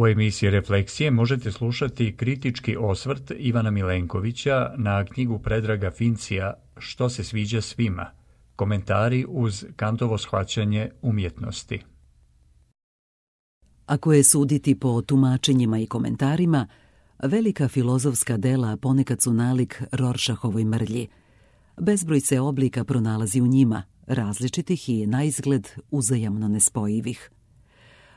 U emisiji Refleksije možete slušati kritički osvrt Ivana Milenkovića na knjigu Predraga Fincija Što se sviđa svima, komentari uz Kantovo shvaćanje umjetnosti. Ako je suditi po tumačenjima i komentarima, velika filozofska dela ponekad su nalik Rorschachovoj mrlji. Bezbroj se oblika pronalazi u njima, različitih i naizgled uzajamno nespojivih.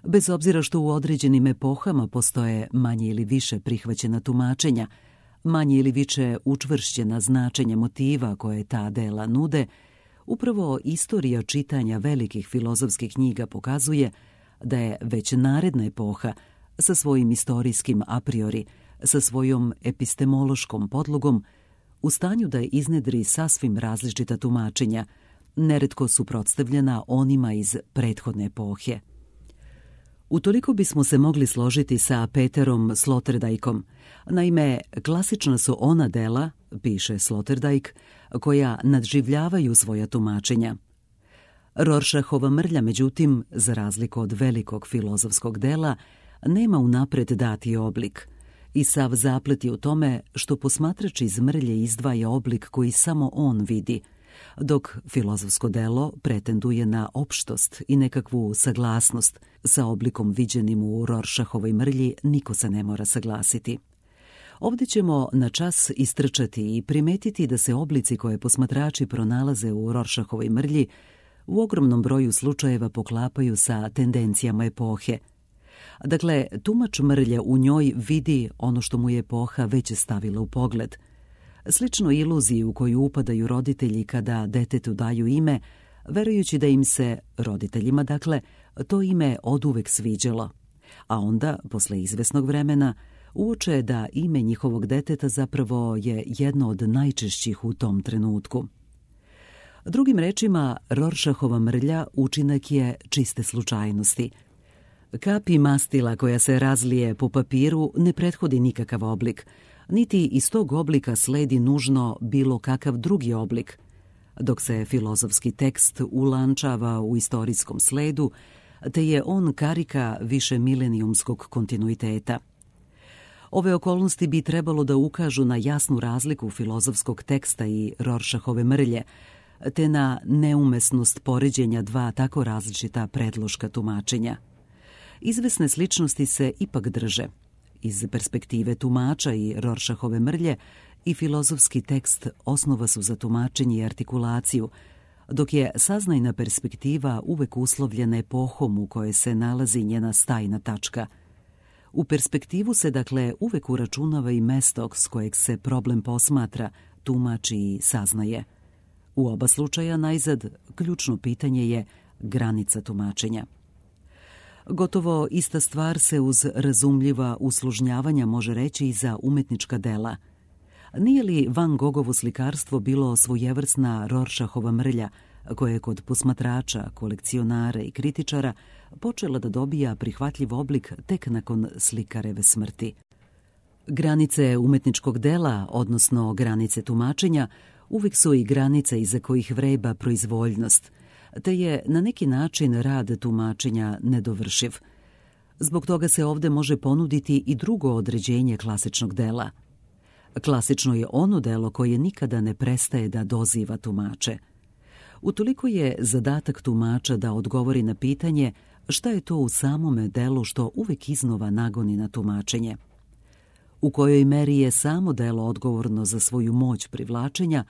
Bez obzira što u određenim epohama postoje manje ili više prihvaćena tumačenja, manje ili više učvršćena značenja motiva koje ta dela nude, upravo istorija čitanja velikih filozofskih knjiga pokazuje da je već naredna epoha sa svojim istorijskim a priori, sa svojom epistemološkom podlogom, u stanju da iznedri sasvim različita tumačenja, neretko suprotstavljena onima iz prethodne epohe. Utoliko bismo se mogli složiti sa Peterom Sloterdijkom. Naime, klasična su ona dela, piše Sloterdijk, koja nadživljavaju svoja tumačenja. Rorschachova mrlja, međutim, za razliku od velikog filozofskog dela, nema unapred dati oblik i sav zaplet je u tome što posmatrač iz mrlje izdvaja oblik koji samo on vidi, dok filozofsko delo pretenduje na opštost i nekakvu saglasnost. Sa oblikom viđenim u Rorschachovoj mrlji niko se ne mora saglasiti. Ovdje ćemo na čas istrčati i primetiti da se oblici koje posmatrači pronalaze u Rorschachovoj mrlji u ogromnom broju slučajeva poklapaju sa tendencijama epohe. Dakle, tumač mrlje u njoj vidi ono što mu je epoha već stavila u pogled. Slično iluziji u koju upadaju roditelji kada detetu daju ime, verujući da im se, roditeljima dakle, to ime oduvek sviđalo. A onda, posle izvesnog vremena, uoče da ime njihovog deteta zapravo je jedno od najčešćih u tom trenutku. Drugim rečima, Rorschachova mrlja učinak je čiste slučajnosti. Kapi mastila koja se razlije po papiru ne prethodi nikakav oblik, niti iz tog oblika sledi nužno bilo kakav drugi oblik, dok se filozofski tekst ulančava u istorijskom sledu, te je on karika višemilenijumskog kontinuiteta. Ove okolnosti bi trebalo da ukažu na jasnu razliku filozofskog teksta i Rorschachove mrlje, te na neumesnost poređenja dva tako različita predloška tumačenja. Izvesne sličnosti se ipak drže. Iz perspektive tumača i Rorschachove mrlje i filozofski tekst osnova su za tumačenje i artikulaciju, dok je saznajna perspektiva uvek uslovljena epohom u kojoj se nalazi njena stajna tačka. U perspektivu se dakle uvek uračunava i mesto s kojeg se problem posmatra, tumači i saznaje. U oba slučaja najzad ključno pitanje je granica tumačenja. Gotovo ista stvar se uz razumljiva uslužnjavanja može reći i za umetnička dela. Nije li Van Gogovo slikarstvo bilo svojevrsna Rorschachova mrlja, koja je kod posmatrača, kolekcionara i kritičara počela da dobija prihvatljiv oblik tek nakon slikareve smrti? Granice umetničkog dela, odnosno granice tumačenja, uvijek su i granice iza kojih vreba proizvoljnost, te je na neki način rad tumačenja nedovršiv. Zbog toga se ovdje može ponuditi i drugo određenje klasičnog dela. Klasično je ono delo koje nikada ne prestaje da doziva tumače. Utoliko je zadatak tumača da odgovori na pitanje šta je to u samome delu što uvek iznova nagoni na tumačenje. U kojoj meri je samo delo odgovorno za svoju moć privlačenja,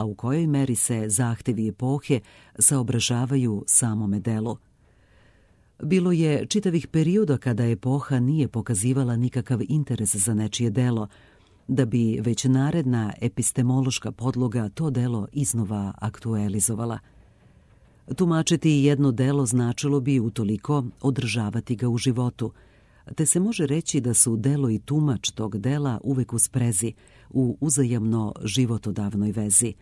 a u kojoj meri se zahtevi epohe saobražavaju samome delu. Bilo je čitavih perioda kada epoha nije pokazivala nikakav interes za nečije delo, da bi već naredna epistemološka podloga to delo iznova aktualizovala. Tumačiti jedno delo značilo bi utoliko održavati ga u životu, te se može reći da su delo i tumač tog dela uvek u sprezi, u uzajamno životodavnoj vezi.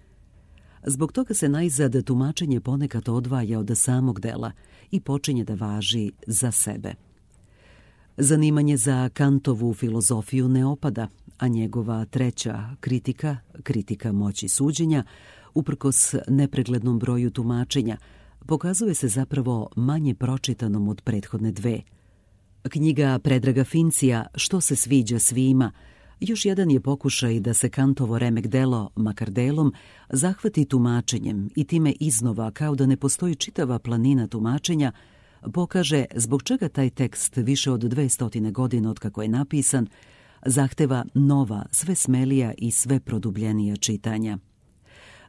Zbog toga se najzad tumačenje ponekad odvaja od samog dela i počinje da važi za sebe. Zanimanje za Kantovu filozofiju ne opada, a njegova treća kritika, kritika moći suđenja, uprkos nepreglednom broju tumačenja, pokazuje se zapravo manje pročitanom od prethodne dve. Knjiga Predraga Fincija Što se sviđa svima još jedan je pokušaj da se Kantovo remek delo, makar delom, zahvati tumačenjem i time iznova, kao da ne postoji čitava planina tumačenja, pokaže zbog čega taj tekst više od 200 godina od kako je napisan zahteva nova, sve smelija i sve produbljenija čitanja.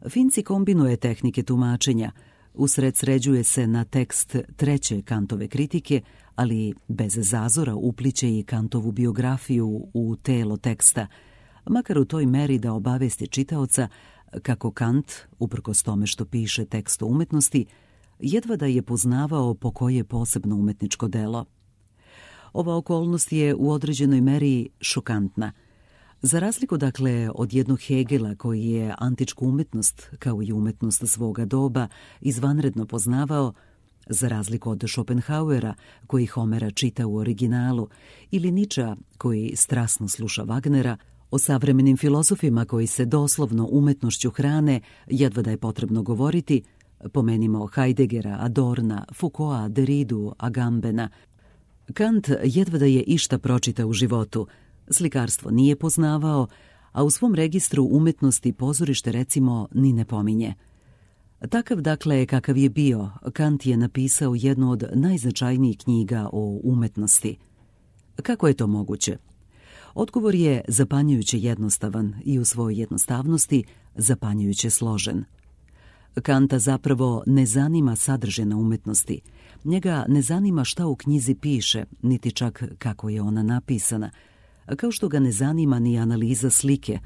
Finci kombinuje tehnike tumačenja, usredsređuje se na tekst treće Kantove kritike, ali bez zazora upliće i Kantovu biografiju u telo teksta, makar u toj meri da obavesti čitaoca kako Kant, uprkos tome što piše tekst o umetnosti, jedva da je poznavao po koje posebno umetničko delo. Ova okolnost je u određenoj meri šokantna. Za razliku, dakle, od jednog Hegela koji je antičku umetnost, kao i umetnost svoga doba, izvanredno poznavao, za razliku od Schopenhauera koji Homera čita u originalu, ili Nietzschea koji strasno sluša Wagnera, o savremenim filozofima koji se doslovno umetnošću hrane, jedva da je potrebno govoriti, pomenimo Heideggera, Adorna, Foucaulta, Derridu, Agambena. Kant jedva da je išta pročitao u životu, slikarstvo nije poznavao, a u svom registru umetnosti pozorište recimo ni ne pominje. Takav, dakle, kakav je bio, Kant je napisao jednu od najznačajnijih knjiga o umetnosti. Kako je to moguće? Odgovor je zapanjujuće jednostavan i u svojoj jednostavnosti zapanjujuće složen. Kanta zapravo ne zanima sadržina umetnosti. Njega ne zanima šta u knjizi piše, niti čak kako je ona napisana, kao što ga ne zanima ni analiza slike,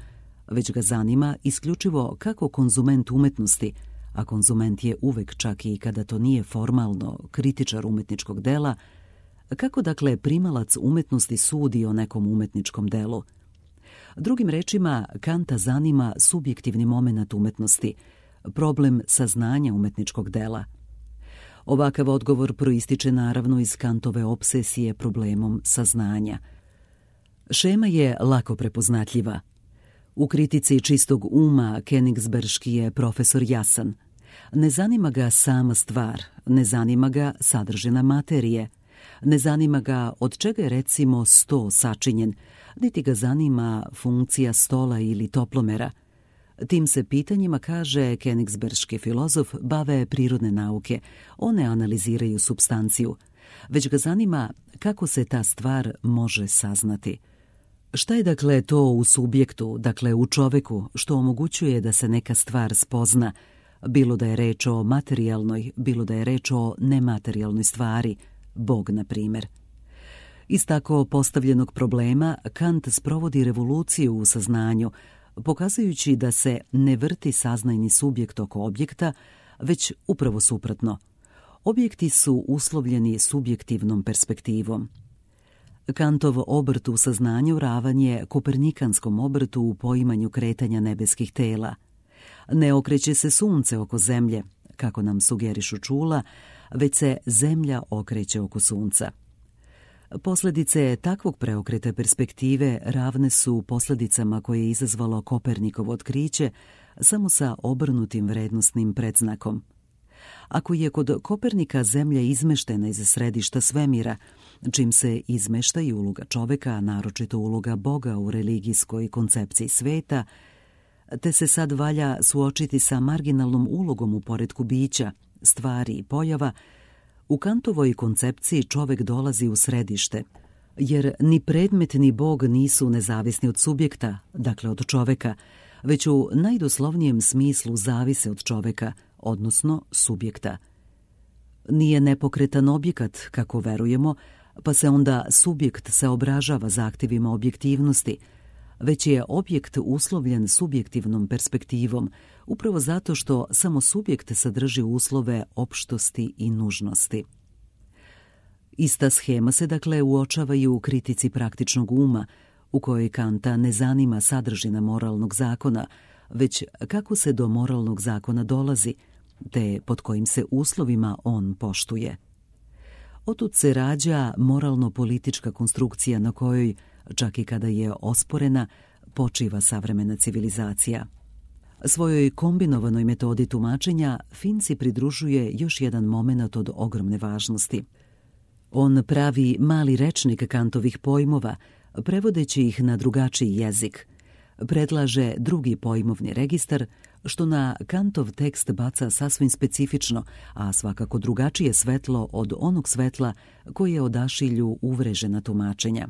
već ga zanima isključivo kako konzument umetnosti, a konzument je uvek, čak i kada to nije formalno, kritičar umetničkog dela, kako dakle primalac umetnosti sudi o nekom umetničkom delu. Drugim rečima, Kanta zanima subjektivni momenat umetnosti, problem saznanja umetničkog dela. Ovakav odgovor proističe naravno iz Kantove opsesije problemom saznanja. Šema je lako prepoznatljiva. U kritici čistog uma Königsberški je profesor jasan. Ne zanima ga sama stvar, ne zanima ga sadržina materije, ne zanima ga od čega je recimo sto sačinjen, niti ga zanima funkcija stola ili toplomera. Tim se pitanjima, kaže Königsberški filozof, bave prirodne nauke. One analiziraju supstanciju, već ga zanima kako se ta stvar može saznati. Šta je dakle to u subjektu, dakle u čoveku, što omogućuje da se neka stvar spozna, bilo da je reč o materijalnoj, bilo da je reč o nematerijalnoj stvari, Bog na primjer. Iz tako postavljenog problema Kant sprovodi revoluciju u saznanju, pokazujući da se ne vrti saznajni subjekt oko objekta, već upravo suprotno. Objekti su uslovljeni subjektivnom perspektivom. Kantov obrt u saznanju ravan je kopernikanskom obrtu u poimanju kretanja nebeskih tela. Ne okreće se sunce oko zemlje, kako nam sugerišu čula, već se zemlja okreće oko sunca. Posljedice takvog preokreta perspektive ravne su posljedicama koje je izazvalo Kopernikovo otkriće, samo sa obrnutim vrednostnim predznakom. Ako je kod Kopernika zemlja izmeštena iz središta svemira, čim se izmešta i uloga čoveka, naročito uloga Boga u religijskoj koncepciji sveta, te se sad valja suočiti sa marginalnom ulogom u poretku bića, stvari i pojava, u Kantovoj koncepciji čovek dolazi u središte, jer ni predmet ni Bog nisu nezavisni od subjekta, dakle od čoveka, već u najdoslovnijem smislu zavise od čoveka, odnosno subjekta. Nije nepokretan objekat, kako verujemo, pa se onda subjekt saobražava zahtjevima objektivnosti, već je objekt uslovljen subjektivnom perspektivom, upravo zato što samo subjekt sadrži uslove opštosti i nužnosti. Ista schema se dakle uočava i u kritici praktičnog uma, u kojoj Kanta ne zanima sadržina moralnog zakona, već kako se do moralnog zakona dolazi, te pod kojim se uslovima on poštuje. Otud se rađa moralno-politička konstrukcija na kojoj, čak i kada je osporena, počiva savremena civilizacija. Svojoj kombinovanoj metodi tumačenja Finci pridružuje još jedan momenat od ogromne važnosti. On pravi mali rečnik Kantovih pojmova, prevodeći ih na drugačiji jezik. Predlaže drugi pojmovni registar, što na Kantov tekst baca sasvim specifično, a svakako drugačije svetlo od onog svetla koje odašilju uvrežena tumačenja.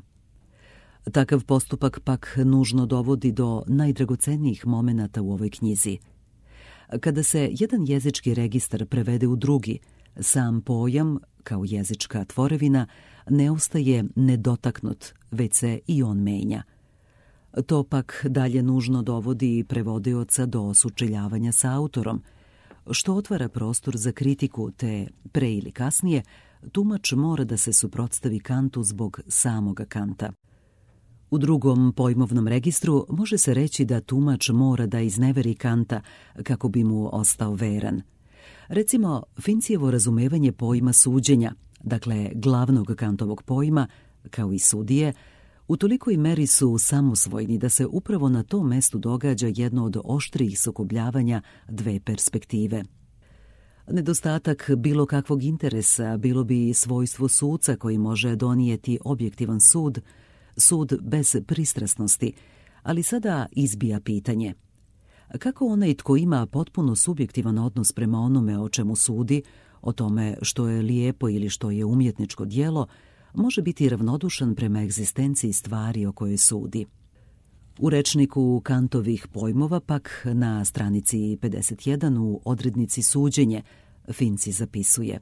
Takav postupak pak nužno dovodi do najdragocenijih momenata u ovoj knjizi. Kada se jedan jezički registar prevede u drugi, sam pojam, kao jezička tvorevina, ne ostaje nedotaknut, već se i on menja. To pak dalje nužno dovodi prevodioca do sučeljavanja sa autorom, što otvara prostor za kritiku, te pre ili kasnije tumač mora da se suprotstavi Kantu zbog samoga Kanta. U drugom pojmovnom registru može se reći da tumač mora da izneveri Kanta kako bi mu ostao veran. Recimo, Fincijevo razumevanje pojma suđenja, dakle glavnog Kantovog pojma, kao i sudije, u tolikoj meri su samosvojni da se upravo na tom mestu događa jedno od oštrijih sukobljavanja dve perspektive. Nedostatak bilo kakvog interesa bilo bi svojstvo suca koji može donijeti objektivan sud, sud bez pristrasnosti, ali sada izbija pitanje. Kako onaj tko ima potpuno subjektivan odnos prema onome o čemu sudi, o tome što je lijepo ili što je umjetničko djelo, može biti ravnodušan prema egzistenciji stvari o kojoj sudi? U rečniku Kantovih pojmova pak na stranici 51 u odrednici suđenje Finci zapisuje: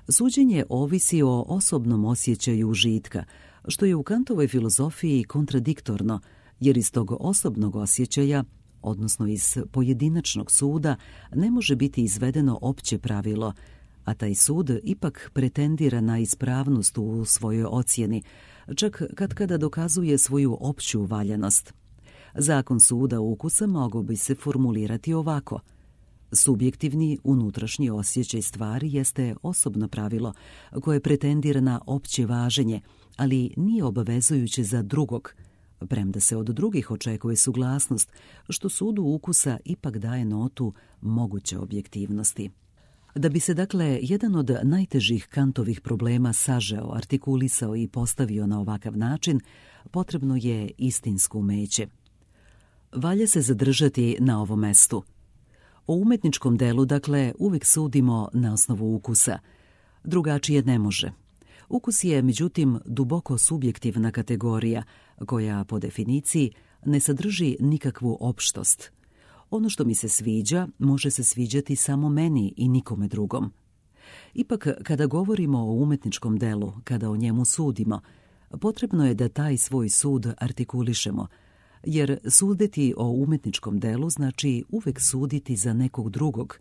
suđenje ovisi o osobnom osjećaju užitka, što je u Kantovoj filozofiji kontradiktorno, jer iz tog osobnog osjećaja, odnosno iz pojedinačnog suda, ne može biti izvedeno opće pravilo, a taj sud ipak pretendira na ispravnost u svojoj ocjeni, čak kada dokazuje svoju opću valjanost. Zakon suda ukusa mogao bi se formulirati ovako: subjektivni unutrašnji osjećaj stvari jeste osobno pravilo koje pretendira na opće važenje, ali nije obavezujuće za drugog, premda se od drugih očekuje suglasnost, što sudu ukusa ipak daje notu moguće objektivnosti. Da bi se dakle jedan od najtežih Kantovih problema sažeo, artikulisao i postavio na ovakav način, potrebno je istinsko umeće. Valja se zadržati na ovom mestu. O umetničkom delu, dakle, uvijek sudimo na osnovu ukusa. Drugačije ne može. Ukus je, međutim, duboko subjektivna kategorija, koja, po definiciji, ne sadrži nikakvu opštost. Ono što mi se sviđa, može se sviđati samo meni i nikome drugom. Ipak, kada govorimo o umetničkom delu, kada o njemu sudimo, potrebno je da taj svoj sud artikulišemo, jer suditi o umetničkom delu znači uvek suditi za nekog drugog.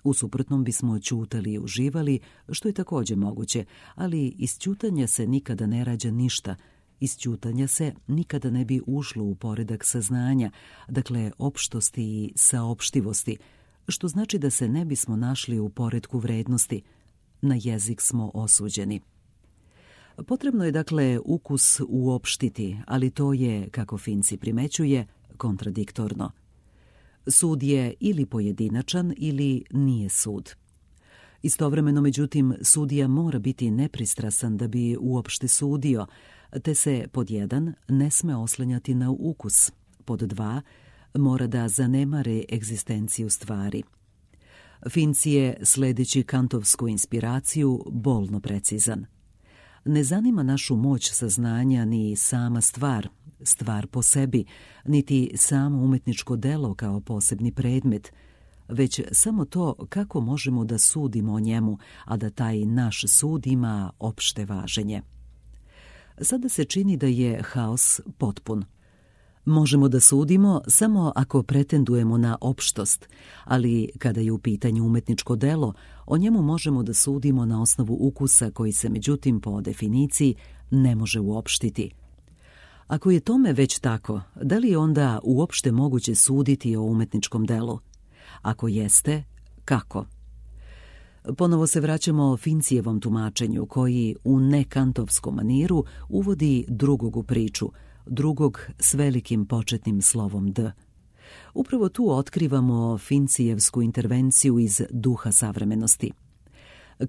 U suprotnom bismo ćutali i uživali, što je također moguće, ali iz ćutanja se nikada ne rađa ništa. Iz ćutanja se nikada ne bi ušlo u poredak saznanja, dakle opštosti i saopštivosti, što znači da se ne bismo našli u poretku vrednosti. Na jezik smo osuđeni. Potrebno je dakle ukus uopštiti, ali to je, kako Finci primećuje, kontradiktorno. Sud je ili pojedinačan ili nije sud. Istovremeno, međutim, sudija mora biti nepristrasan da bi uopšte sudio, te se pod 1 ne sme oslanjati na ukus, pod 2 mora da zanemare egzistenciju stvari. Finci je, sledeći kantovsku inspiraciju, bolno precizan. Ne zanima našu moć saznanja ni sama stvar po sebi, niti samo umetničko delo kao posebni predmet, već samo to kako možemo da sudimo o njemu, a da taj naš sud ima opšte važenje. Sada se čini da je haos potpun. Možemo da sudimo samo ako pretendujemo na opštost, ali kada je u pitanju umetničko delo, o njemu možemo da sudimo na osnovu ukusa koji se, međutim, po definiciji ne može uopštiti. Ako je tome već tako, da li je onda uopšte moguće suditi o umetničkom delu? Ako jeste, kako? Ponovo se vraćamo Fincijevom tumačenju koji u nekantovskom maniru uvodi drugog u priču, drugog s velikim početnim slovom D. Upravo tu otkrivamo Fincijevsku intervenciju iz duha savremenosti.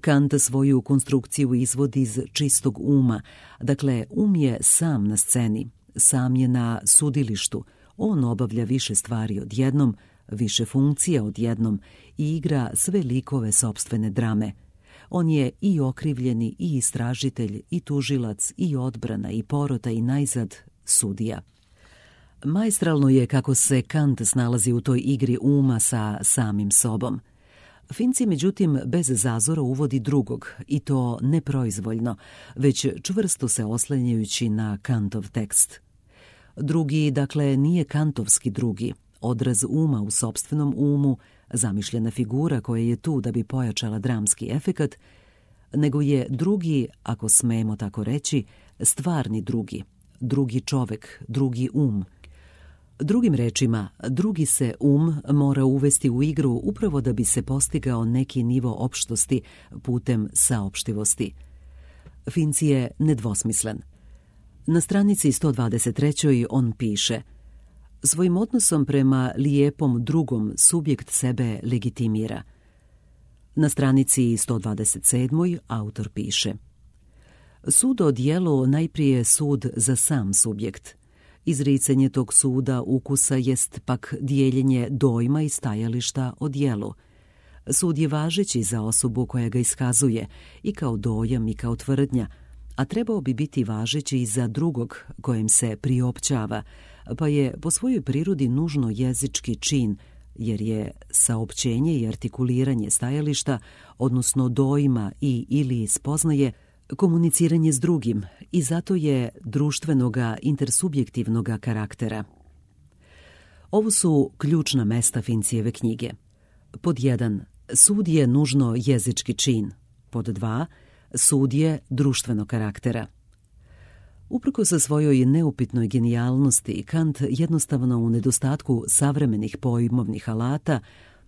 Kant svoju konstrukciju izvodi iz čistog uma, dakle je sam na sceni, sam je na sudilištu, on obavlja više stvari odjednom, više funkcija odjednom i igra sve likove sopstvene drame. On je i okrivljeni, i istražitelj, i tužilac, i odbrana, i porota, i najzad sudija. Maestralno je kako se Kant snalazi u toj igri uma sa samim sobom. Finci, međutim, bez zazora uvodi drugog, i to ne proizvoljno, već čvrsto se oslanjajući na Kantov tekst. Drugi, dakle, nije kantovski drugi, odraz uma u sopstvenom umu, zamišljena figura koja je tu da bi pojačala dramski efekat, nego je drugi, ako smemo tako reći, stvarni drugi čovek, drugi um. Drugim rečima, drugi se mora uvesti u igru upravo da bi se postigao neki nivo opštosti putem saopštivosti. Finci je nedvosmislen. Na stranici 123. on piše: svojim odnosom prema lijepom drugom subjekt sebe legitimira. Na stranici 127. autor piše: sud o djelu najprije je sud za sam subjekt. Izricanje tog suda ukusa jest pak dijeljenje dojma i stajališta o djelu. Sud je važeći za osobu koja ga iskazuje, i kao dojam i kao tvrdnja, a trebao bi biti važeći i za drugog kojem se priopćava, pa je po svojoj prirodi nužno jezički čin, jer je saopćenje i artikuliranje stajališta, odnosno dojma i ili spoznaje, komuniciranje s drugim, i zato je društvenoga intersubjektivnoga karaktera. Ovo su ključna mesta Fincijeve knjige. Pod 1. Sud je nužno jezički čin. Pod 2. Sud je društvenog karaktera. Uprkos sa svojoj neupitnoj genijalnosti, Kant jednostavno u nedostatku savremenih pojmovnih alata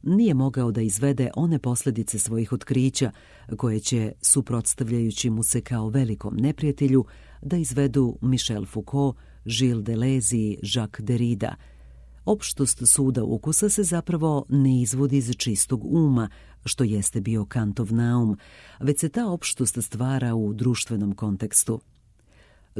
nije mogao da izvede one posljedice svojih otkrića koje će, suprotstavljajući mu se kao velikom neprijatelju, da izvedu Michel Foucault, Gilles Deleuze i Jacques Derrida. Opštost suda ukusa se zapravo ne izvodi iz čistog uma, što jeste bio Kantov naum, već se ta opštost stvara u društvenom kontekstu.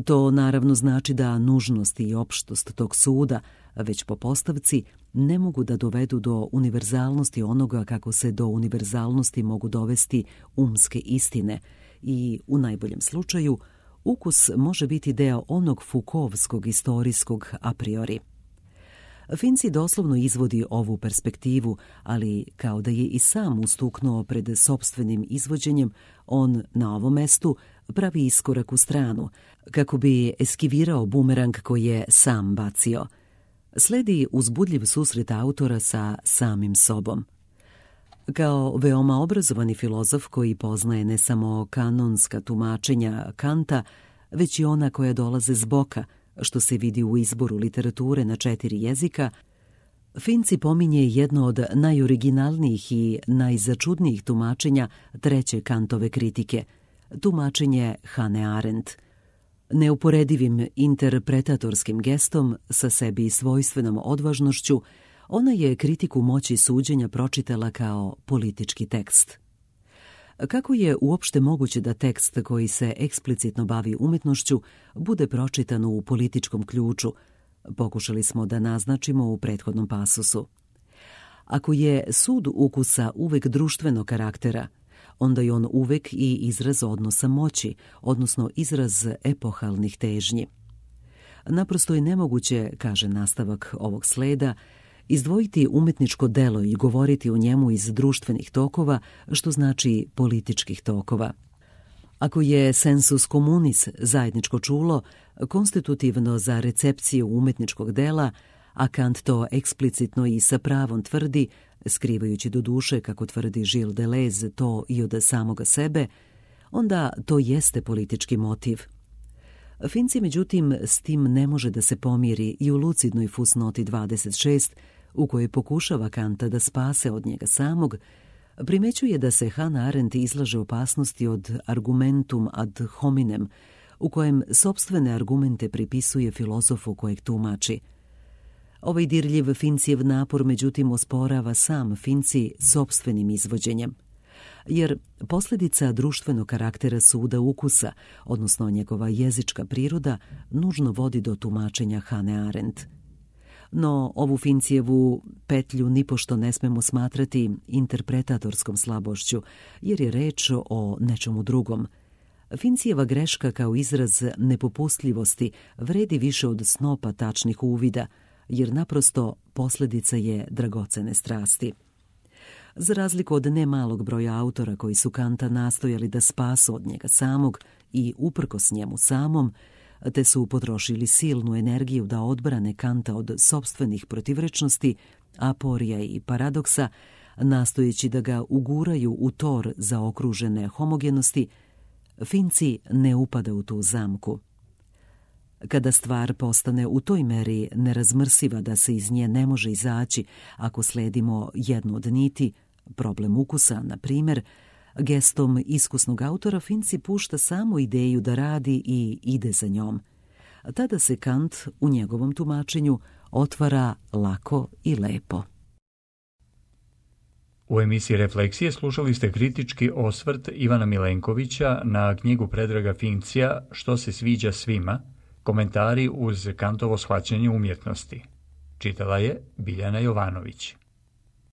To naravno znači da nužnost i opštost tog suda, već po postavci, ne mogu da dovedu do univerzalnosti onoga kako se do univerzalnosti mogu dovesti umske istine i, u najboljem slučaju, ukus može biti deo onog Foucaultskog istorijskog a priori. Finci doslovno izvodi ovu perspektivu, ali kao da je i sam ustuknuo pred sopstvenim izvođenjem, on na ovom mestu pravi iskorak u stranu, kako bi eskivirao bumerang koji je sam bacio. Sledi uzbudljiv susret autora sa samim sobom. Kao veoma obrazovani filozof koji poznaje ne samo kanonska tumačenja Kanta, već i ona koja dolaze s boka, što se vidi u izboru literature na 4 jezika, Finci pominje jedno od najoriginalnijih i najzačudnijih tumačenja treće Kantove kritike, tumačenje Hannah Arendt. Neuporedivim interpretatorskim gestom, sa sebi svojstvenom odvažnošću, ona je kritiku moći suđenja pročitala kao politički tekst. Kako je uopšte moguće da tekst koji se eksplicitno bavi umjetnošću bude pročitan u političkom ključu, pokušali smo da naznačimo u prethodnom pasusu. Ako je sud ukusa uvek društvenog karaktera, onda je on uvek i izraz odnosa moći, odnosno izraz epohalnih težnji. Naprosto je nemoguće, kaže nastavak ovog sleda, izdvojiti umetničko delo i govoriti o njemu iz društvenih tokova, što znači političkih tokova. Ako je sensus communis zajedničko čulo, konstitutivno za recepciju umetničkog dela, a Kant to eksplicitno i sa pravom tvrdi, skrivajući do duše, kako tvrdi Gilles Deleuze, to i od samoga sebe, onda to jeste politički motiv. Finci, međutim, s tim ne može da se pomiri i u lucidnoj fusnoti 26, u kojoj pokušava Kanta da spase od njega samog, primećuje da se Hannah Arendt izlaže opasnosti od argumentum ad hominem, u kojem sopstvene argumente pripisuje filozofu kojeg tumači. Ovaj dirljiv Fincijev napor, međutim, osporava sam Finci sopstvenim izvođenjem. jer posljedica društvenog karaktera suda ukusa, odnosno njegova jezička priroda, nužno vodi do tumačenja Hannah Arendt. No, ovu Fincijevu petlju nipošto ne smemo smatrati interpretatorskom slabošću, jer je reč o nečemu drugom. Fincijeva greška kao izraz nepopustljivosti vredi više od snopa tačnih uvida, jer naprosto posljedica je dragocene strasti. Za razliku od nemalog broja autora koji su Kanta nastojali da spasu od njega samog i uprkos njemu samom, te su potrošili silnu energiju da odbrane Kanta od sopstvenih protivrečnosti, aporija i paradoksa, nastojeći da ga uguraju u tor zaokružene homogenosti, Finci ne upada u tu zamku. Kada stvar postane u toj meri nerazmrsiva da se iz nje ne može izaći ako sledimo jednu od niti, problem ukusa, na primjer, gestom iskusnog autora Finci pušta samo ideju da radi i ide za njom. Tada se Kant u njegovom tumačenju otvara lako i lepo. U emisiji Refleksije slušali ste kritički osvrt Ivana Milenkovića na knjigu Predraga Fincija Što se sviđa svima, komentari uz Kantovo shvaćanje umjetnosti. Čitala je Biljana Jovanović.